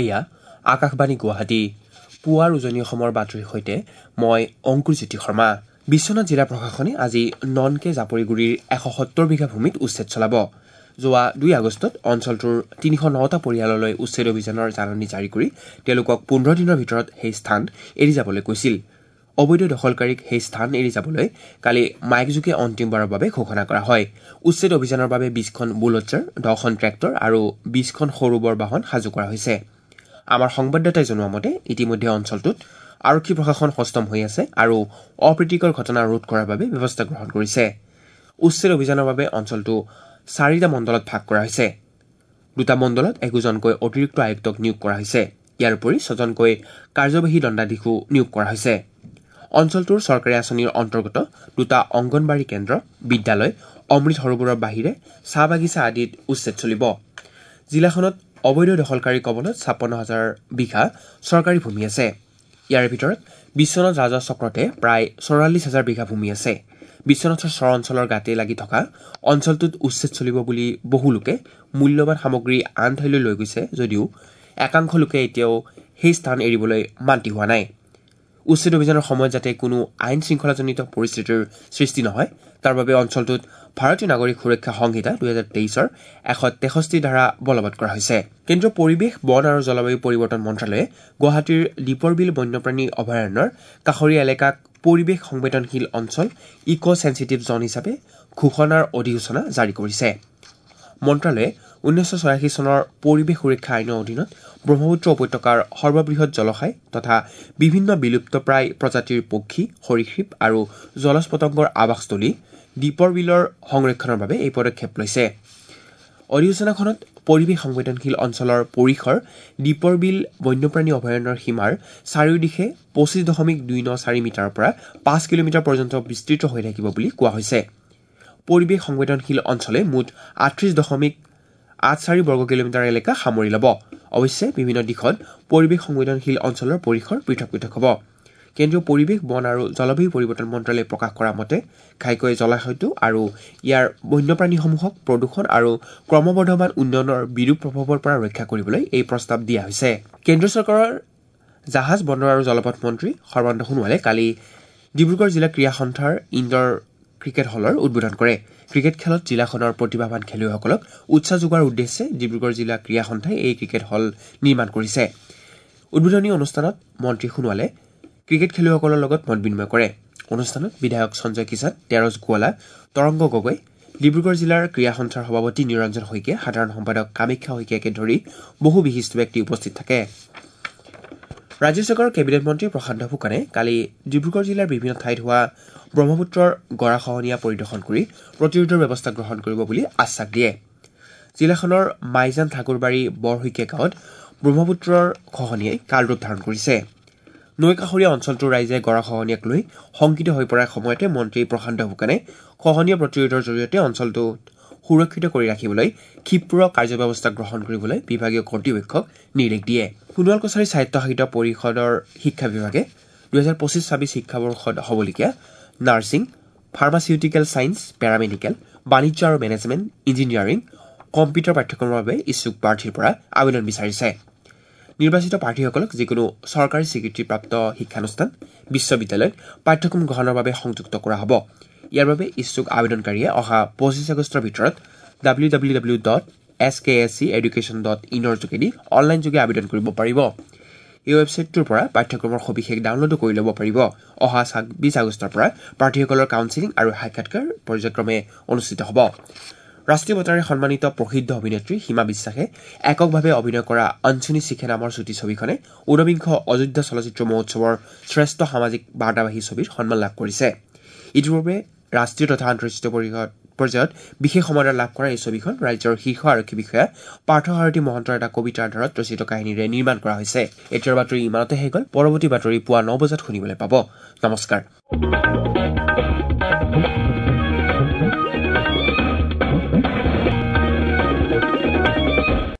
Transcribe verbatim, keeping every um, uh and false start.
এয়া আকাশবাণী গুৱাহাটী। পুৱাৰ উজনি অসমৰ বাতৰিৰ সৈতে মই অংকুৰজ্যোতি শৰ্মা। বিশ্বনাথ জিলা প্ৰশাসনে আজি ননকে জাপৰিগুৰিৰ এশ সত্তৰ বিঘা ভূমিত উচ্ছেদ চলাব। যোৱা দুই আগষ্টত অঞ্চলটোৰ তিনিশ নটা পৰিয়াললৈ উচ্ছেদ অভিযানৰ জাননী জাৰি কৰি তেওঁলোকক পোন্ধৰ দিনৰ ভিতৰত সেই স্থান এৰি যাবলৈ কৈছিল। অবৈধ দখলকাৰীক সেই স্থান এৰি যাবলৈ কালি মাইকযোগে অন্তিমবাৰৰ বাবে ঘোষণা কৰা হয়। উচ্ছেদ অভিযানৰ বাবে বিছখন বুলডজাৰ, দহখন ট্ৰেক্টৰ আৰু বিছখন সৰু বৰ বাহন সাজু কৰা হৈছে। আমাৰ সংবাদদাতাই জনোৱা মতে ইতিমধ্যে অঞ্চলটোত আৰক্ষী প্ৰশাসন সষ্টম হৈ আছে আৰু অপ্ৰীতিকৰ ঘটনা ৰোধ কৰাৰ বাবে ব্যৱস্থা গ্ৰহণ কৰিছে। উচ্ছেদ অভিযানৰ বাবে অঞ্চলটো চাৰিটা মণ্ডলত ভাগ কৰা হৈছে। দুটা মণ্ডলত একোজনকৈ অতিৰিক্ত আয়ুক্তক নিয়োগ কৰা হৈছে। ইয়াৰ উপৰি ছজনকৈ কাৰ্যবাহী দণ্ডাধীশো নিয়োগ কৰা হৈছে। অঞ্চলটোৰ চৰকাৰী আঁচনিৰ অন্তৰ্গত দুটা অংগনবাড়ী কেন্দ্ৰ, বিদ্যালয়, অমৃত সৰোবৰৰ বাহিৰে চাহ বাগিচা আদিত উচ্ছেদ চলিব। জিলাখনত অবৈধ দখলকাৰীৰ কবলত ছাপন্ন হাজাৰ বিঘা চৰকাৰী ভূমি আছে। ইয়াৰ ভিতৰত বিশ্বনাথ ৰাজহ চক্ৰতে প্ৰায় চৌৰাল্লিছ হাজাৰ বিঘা ভূমি আছে। বিশ্বনাথৰ চৰ অঞ্চলৰ গাতে লাগি থকা অঞ্চলটোত উচ্ছেদ চলিব বুলি বহু লোকে মূল্যৱান সামগ্ৰী আন ঠাইলৈ লৈ গৈছে যদিও একাংশ লোকে এতিয়াও সেই স্থান এৰিবলৈ মান্তি হোৱা নাই। উচ্ছেদ অভিযানৰ সময়ত যাতে কোনো আইন শৃংখলাজনিত পৰিস্থিতিৰ সৃষ্টি নহয় তাৰ বাবে অঞ্চলটোত ভাৰতীয় নাগৰিক সুৰক্ষা সংহিতা দুহেজাৰ তেইছৰ এশ তেষষ্ঠি ধাৰা বলবৎ কৰা হৈছে। কেন্দ্ৰীয় পৰিৱেশ, বন আৰু জলবায়ু পৰিৱৰ্তন মন্ত্ৰালয়ে গুৱাহাটীৰ দীপৰ বিল বন্যপ্ৰাণী অভয়াৰণ্যৰ কাষৰীয়া এলেকাক পৰিৱেশ সংবেদনশীল অঞ্চল ইক' চেঞ্চিটিভ জ'ন হিচাপে ঘোষণাৰ অধিসূচনা জাৰি কৰিছে। মন্ত্ৰালয়ে ঊনৈছশ ছয়াশী চনৰ পৰিৱেশ সুৰক্ষা আইনৰ অধীনত ব্ৰহ্মপুত্ৰ উপত্যকাৰ সৰ্ববৃহৎ জলাশয় তথা বিভিন্ন বিলুপ্তপ্ৰায় প্ৰজাতিৰ পক্ষী, সৰীসৃপ আৰু জলজ পতংগৰ আৱাসস্থলী দীপৰ বিলৰ সংৰক্ষণৰ বাবে এই পদক্ষেপ লৈছে। অধিসূচনাখনত পৰিৱেশ সংবেদনশীল অঞ্চলৰ পৰিসৰ দীপৰ বিল বন্যপ্ৰাণী অভয়াৰণ্যৰ সীমাৰ চাৰিওদিশে পঁচিছ দশমিক দুই ন চাৰি মিটাৰৰ পৰা পাঁচ কিলোমিটাৰ পৰ্যন্ত বিস্তৃত হৈ থাকিব বুলি কোৱা হৈছে। পৰিৱেশ সংবেদনশীল অঞ্চলে মুঠ আঠত্ৰিছ দশমিক আঠ চাৰি বৰ্গ কিলোমিটাৰ এলেকা সামৰি ল'ব। অৱশ্যে বিভিন্ন দিশত পৰিৱেশ সংবেদনশীল অঞ্চলৰ পৰিসৰ পৃথক পৃথক হ'ব। কেন্দ্ৰীয় পৰিৱেশ, বন আৰু জলবায়ু পৰিৱৰ্তন মন্ত্ৰালয়ে প্ৰকাশ কৰা মতে ঘাইকৈ জলাশয়টো আৰু ইয়াৰ বন্যপ্ৰাণীসমূহক প্ৰদূষণ আৰু ক্ৰমবৰ্ধমান উন্নয়নৰ বিৰূপ প্ৰভাৱৰ পৰা ৰক্ষা কৰিবলৈ এই প্ৰস্তাৱ দিয়া হৈছে। কেন্দ্ৰীয় চৰকাৰৰ জাহাজ, বন্দৰ আৰু জলপথ মন্ত্ৰী সৰ্বানন্দ সোণোৱালে কালি ডিব্ৰুগড় জিলা ক্ৰীড়া সন্থাৰ ইণ্ডৰ ক্ৰিকেট হলৰ উদ্বোধন কৰে। ক্ৰিকেট খেলত জিলাখনৰ প্ৰতিভাৱান খেলুৱৈসকলক উৎসাহ যোগোৱাৰ উদ্দেশ্যে ডিব্ৰুগড় জিলা ক্ৰীড়া সন্থাই এই ক্ৰিকেট হল নিৰ্মাণ কৰিছে। উদ্বোধনী অনুষ্ঠানত মন্ত্ৰী সোণোৱালে ক্ৰিকেট খেলুৱৈসকলৰ লগত মত বিনিময় কৰে। অনুষ্ঠানত বিধায়ক সঞ্জয় কিষাণ, তেৰছ গোৱালা, তৰংগ গগৈ, ডিব্ৰুগড় জিলাৰ ক্ৰীড়া সন্থাৰ সভাপতি নিৰঞ্জন শইকীয়া, সাধাৰণ সম্পাদক কামাখ্যা শইকীয়াকে ধৰি বহু বিশিষ্ট ব্যক্তি উপস্থিত থাকে। ৰাজ্য চৰকাৰৰ কেবিনেট মন্ত্ৰী প্ৰশান্ত ফুকনে কালি ডিব্ৰুগড় জিলাৰ বিভিন্ন ঠাইত হোৱা ব্ৰহ্মপুত্ৰৰ গৰাখহনীয়া পৰিদৰ্শন কৰি প্ৰতিৰোধৰ ব্যৱস্থা গ্ৰহণ কৰিব বুলি আশ্বাস দিয়ে। জিলাখনৰ মাইজান ঠাকুৰবাৰী বৰশইকীয়া গাঁৱত ব্ৰহ্মপুত্ৰৰ খহনীয়াই কালৰূপ ধাৰণ কৰিছে। নৈ কাষৰীয়া অঞ্চলটোৰ ৰাইজে গৰাখহনীয়াক লৈ শংকিত হৈ পৰাৰ সময়তে মন্ত্ৰী প্ৰশান্ত ফুকনে খহনীয়া প্ৰতিৰোধৰ জৰিয়তে অঞ্চলটো সুৰক্ষিত কৰি ৰাখিবলৈ ক্ষিপ্ৰ কাৰ্যব্যৱস্থা গ্ৰহণ কৰিবলৈ বিভাগীয় কৰ্তৃপক্ষক নিৰ্দেশ দিয়ে। সোণোৱাল কছাৰী স্বায়ত্তশাসিত পৰিষদৰ শিক্ষা বিভাগে দুহেজাৰ পঁচিছ ছাব্বিছ শিক্ষাবৰ্ষত হ'বলগীয়া নাৰ্ছিং, ফাৰ্মাচিউটিকেল ছায়েন্স, পেৰামেডিকেল, বাণিজ্য আৰু মেনেজমেণ্ট, ইঞ্জিনিয়াৰিং, কম্পিউটাৰ পাঠ্যক্ৰমৰ বাবে ইচ্ছুক প্ৰাৰ্থীৰ পৰা আবেদন বিচাৰিছে। নিৰ্বাচিত প্ৰাৰ্থীসকলক যিকোনো চৰকাৰী স্বীকৃতিপ্ৰাপ্ত শিক্ষানুষ্ঠান, বিশ্ববিদ্যালয়ত পাঠ্যক্ৰম গ্ৰহণৰ বাবে সংযুক্ত কৰা হ'ব। ইয়াৰ বাবে ইচ্ছুক আবেদনকাৰীয়ে অহা পঁচিছ আগষ্টৰ ভিতৰত W W W dot S K S C education dot ইনৰ যোগেদি অনলাইনযোগে আবেদন কৰিব পাৰিব। এই ৱেবছাইটটোৰ পৰা পাঠ্যক্ৰমৰ সবিশেষ ডাউনলোডো কৰি ল'ব পাৰিব। অহা ছাব্বিছ আগষ্টৰ পৰা প্ৰাৰ্থীসকলৰ কাউন্সিলিং আৰু সাক্ষাৎকাৰ পৰ্যায়ক্ৰমে অনুষ্ঠিত হ'ব। ৰাষ্ট্ৰীয় বঁটাৰে সন্মানিত প্ৰসিদ্ধ অভিনেত্ৰী সীমা বিশ্বাসে এককভাৱে অভিনয় কৰা অঞ্চনী শিখে নামৰ চুটি ছবিখনে ঊনবিংশ অযোধ্যা চলচ্চিত্ৰ মহোৎসৱৰ শ্ৰেষ্ঠ সামাজিক বাৰ্তাবাহী ছবিৰ সন্মান লাভ কৰিছে। ইতিপূৰ্বে ৰাষ্ট্ৰীয় তথা আন্তঃৰাষ্ট্ৰীয় পৰ্যায়ত বিশেষ সমাদৰ লাভ কৰা এই ছবিখন ৰাজ্যৰ শীৰ্ষ আৰক্ষী বিষয়া পাৰ্থসাৰথী মহন্তৰ এটা কবিতাৰ আধাৰত ৰচিত কাহিনীৰে নিৰ্মাণ কৰা হৈছে। এতিয়াৰ বাতৰি ইমানতে শেষ হ'ল। পৰৱৰ্তী বাতৰি পুৱা ন বজাত শুনিবলৈ পাব। নমস্কাৰ।